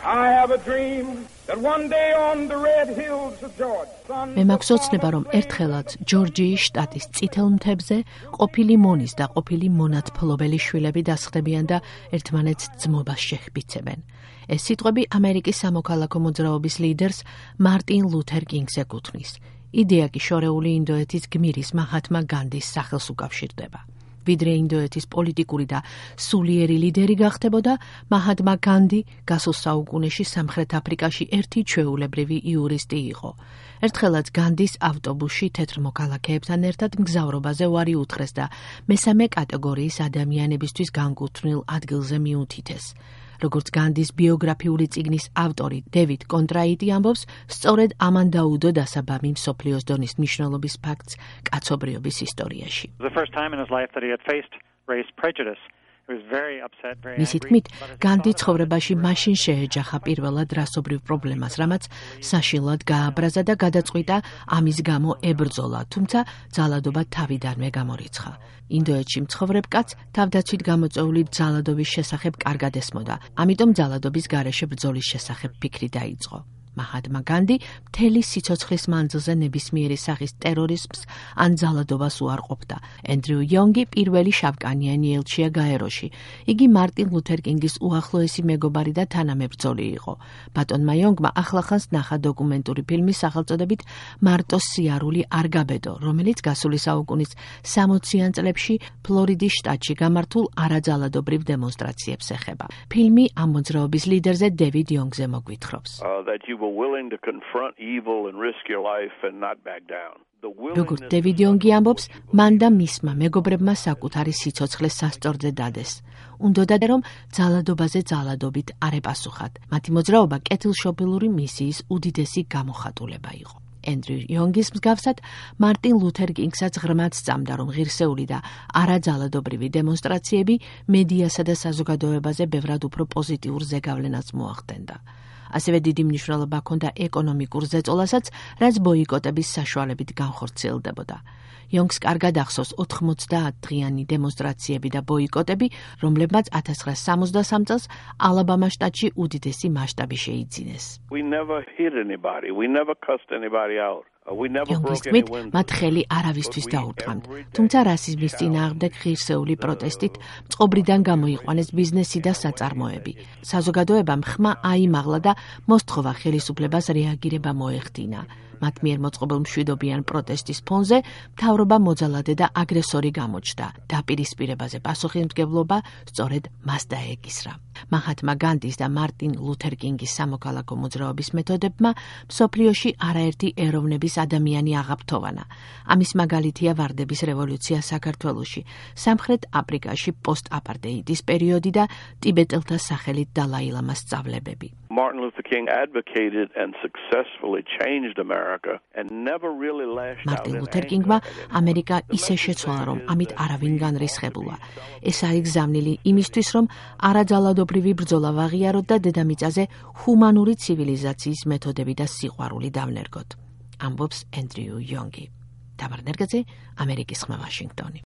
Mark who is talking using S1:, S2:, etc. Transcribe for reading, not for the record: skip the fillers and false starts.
S1: I have a dream that one day on the red hills of Georgia.
S2: მე მაქვს ოცნება, რომ ერთხელაც ჯორჯიის შტატის წითელ მთებზე ყოფილი მონის და ყოფილი მონათფლობელი შვილები დასხდებიან და ერთმანეთს ძმობას შეჰბიცებენ. ეს სიტყვები ამერიკის სამოქალაქო მოძრაობის ლიდერს მარტინ ლუთერ კინგს ეკუთვნის. იდეა კი შორეული ინდოეთის გმირის მაჰათმა განდის სახელს უკავშირდება. ვიდრე ინდოეთის პოლიტიკური და სულიერი ლიდერი გახდებოდა, მაჰათმა განდი გასულ საუკუნეში სამხრეთ აფრიკაში ერთი ჩვეულებრივი იურისტი იყო. ერთხელაც განდის ავტობუსში თეთრ მოქალაქეებთან ერთად მგზავრობაზე უარი უთხრეს და მესამე კატეგორიის ადამიანებისთვის განკუთვნილ ადგილზე მიუთითეს. როგორც განდის ბიოგრაფიული წიგნის ავტორი დევიდ კონტრაიტი ამბობს, სწორედ ამან დაუდო დასაბამი მსოფლიოს დონის მნიშვნელობის ფაქტს კაცობრიობის ისტორიაში. მისი თქმით, განდი ცხოვრებაში მაშინ შეეჯახა პირველად რასობრივ პრობლემას, რამაც საშინლად გააბრაზა და გადაწყვიტა ამის გამო ებრძოლა, თუმცა ძალადობა თავიდანვე გამორიცხა. ინდოეთში მცხოვრებ კაცს თავდაცვით გამოწვეული ძალადობის შესახებ კარგად ესმოდა, ამიტომ ძალადობის გარეშე ბრძოლის შესახებ ფიქრი დაიწყო. მაჰათმა განდი მთელი სიცოცხლის მანძილზე ნებისმიერი სახის ტერორიზმს ან ძალადობას უარყოფდა. ენდრიუ იონგი პირველი შავკანიანი ელჩია გაეროში. იგი მარტინ ლუთერ კინგის უახლოესი მეგობარი და თანამებრძოლი იყო. ბატონმა იონგმა ახლახანს ნახა დოკუმენტური ფილმის სახელწოდებით მარტოს სიარული არ გაბედო, რომელიც გასული საუკუნის 60-იან წლებში ფლორიდის შტატში გამართულ არაძალადობრივ დემონსტრაციებს ეხება. ფილმი ამ მოძრაობის ლიდერზე დევიდ იონგზე მოგვითხრობს. როგორც დევიდ იონგი ამბობს, მან და მისმა მეგობრებმა საკუთარი სიცოცხლე სასწორზე დადეს. უნდოდა რომ ძალადობაზე ძალადობით არ ეპასუხათ. მათი მოძრაობა კეთილშობილური მისიის უდიდესი გამოხატულება იყო. ენდრიუ იონგის მსგავსად, მარტინ ლუთერ კინგსაც ღრმად სწამდა, რომ ღირსეული და არაძალადობრივი დემონსტრაციები მედიასა და საზოგადოებაზე ბევრად უფრო პოზიტიურ ზეგავლენას მოახდენდა. ასევე დიდი მნიშვნელობა ჰქონდა ეკონომიკურ ზეწოლასაც, რაც ბოიკოტების საშუალებით განხორციელდებოდა. იონგს კარგად ახსოვს 90 დღიანი დემონსტრაციები და ბოიკოტები, რომლებმაც 1963 წელს ალაბამა შტატში უდიდესი მასშტაბი შეიძინეს. იონგის თქმით, მათ ხელი არავისთვის დაუთქვამთ, თუმცა რასიზმის წინააღმდეგ ღირსეული პროტესტით წყობრიდან გამოიყვანეს ბიზნესი და საწარმოები. საზოგადოებამ ხმა აიმაღლა და მოსთხოვა ხელისუფლებას რეაგირება მოეხდინა. მათ მიერ მოწყობილ მშვიდობიან პროტესტის ფონზე მთავრობა მოძალადე და აგრესორი გამოჩნდა. დაპირისპირებაზე პასუხისმგებლობა სწორედ მას დაეკისრა. მაჰათმა განდის და მარტინ ლუთერ კინგის სამოქალაქო მოძრაობის მეთოდებმა მსოფლიოში არაერთი ეროვნების ადამიანი აღაფრთოვანა. ამის მაგალითია ვარდების რევოლუცია საქართველოში, სამხრეთ აფრიკაში პოსტ-აპარტეიდის პერიოდი და ტიბეტელთა სახელით დალაი ლამას სწავლებები.
S3: Martin Luther King advocated and successfully changed America and never really lashed out.
S2: მარტინ ლუთერ კინგმა ამერიკა ისე შეცვალა, რომ ამით არავინ განრისხებულა. ეს არის გზავნილი იმისთვის, რომ არაძალადობრივი ბრძოლა ვაღიაროთ და დედამიწაზე ჰუმანური ცივილიზაციის მეთოდები და სიყვარული დავნერგოთ. ამბობს ენდრიუ იონგი. თამარ ნერგაძე, ამერიკის ხმა, ვაშინგტონი.